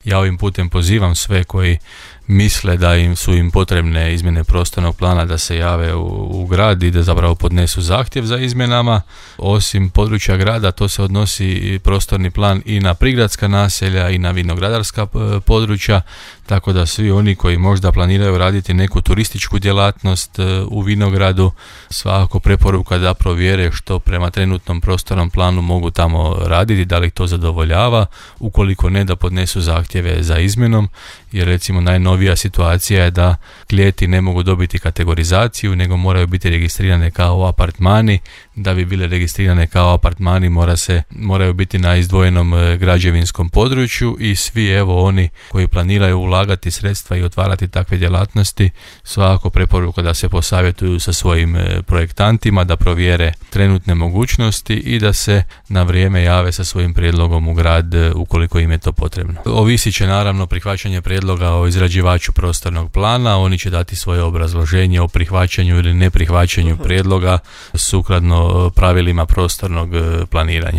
Ja ovim putem pozivam sve koji misle da su im potrebne izmjene prostornog plana da se jave u grad i da zapravo podnesu zahtjev za izmjenama. Osim područja grada, to se odnosi i prostorni plan i na prigradska naselja i na vinogradarska područja, tako da svi oni koji možda planiraju raditi neku turističku djelatnost u vinogradu, svakako preporuka da provjere što prema trenutnom prostornom planu mogu tamo raditi, da li to zadovoljava, ukoliko ne, da podnesu zahtjeve za izmjenom, jer recimo najnovija situacija je da klijeti ne mogu dobiti kategorizaciju, nego moraju biti registrirane kao apartmani. Da bi bile registrirane kao apartmani moraju biti na izdvojenom građevinskom području i svi oni koji planiraju ulagati sredstva i otvarati takve djelatnosti, svakako preporuka da se posavjetuju sa svojim projektantima, da provjere trenutne mogućnosti i da se na vrijeme jave sa svojim prijedlogom u grad ukoliko im je to potrebno. Ovisit će naravno prihvaćanje prijedloga o izrađivaču prostornog plana, oni će dati svoje obrazloženje o prihvaćanju ili neprihvaćanju prijedloga sukladno pravilima prostornog planiranja.